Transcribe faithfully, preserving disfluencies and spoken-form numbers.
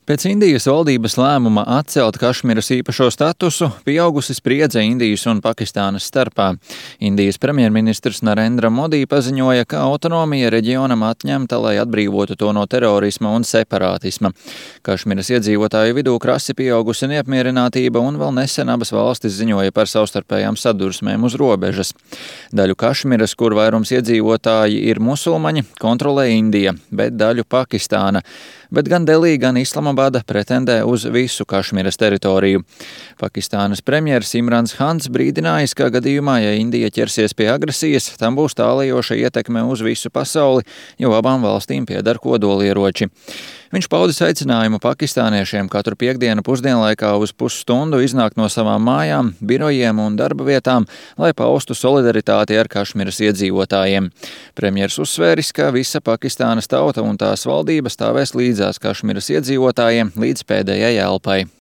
Pēc Indijas valdības lēmuma atcelt Kašmiras īpašo statusu, pieaugusi spriedze Indijas un Pakistānas starpā. Indijas premjerministrs Narendra Modi paziņoja, ka autonomija reģionam atņemta, lai atbrīvotu to no terorisma un separātisma. Kašmiras iedzīvotāju vidū krasi pieaugusi neapmierinātība un vēl nesen abas valstis ziņoja par savstarpējām sadursmēm uz robežas. Daļu Kašmiras, kur vairums iedzīvotāji ir musulmaņi, kontrolē Indija, bet daļu Pakistāna. Bet gan Delī, gan Islamabada pretendē uz visu Kašmiras teritoriju. Pakistānas premjers Imrans Hans brīdinājis, ka gadījumā, ja Indija ķersies pie agresijas, tam būs tālajoša ietekme uz visu pasauli, jo abām valstīm pieder kodolieroči. Viņš paudis aicinājumu pakistāniešiem katru piektdienu pusdienlaikā uz pusstundu iznākt no savām mājām, birojiem un darba vietām, lai paustu solidaritāti ar Kašmiras iedzīvotājiem. Premjers uzsvēris, ka visa Pakistānas tauta un tās valdība stāvēs līdzās Kašmiras iedzīvotājiem līdz pēdējai elpai.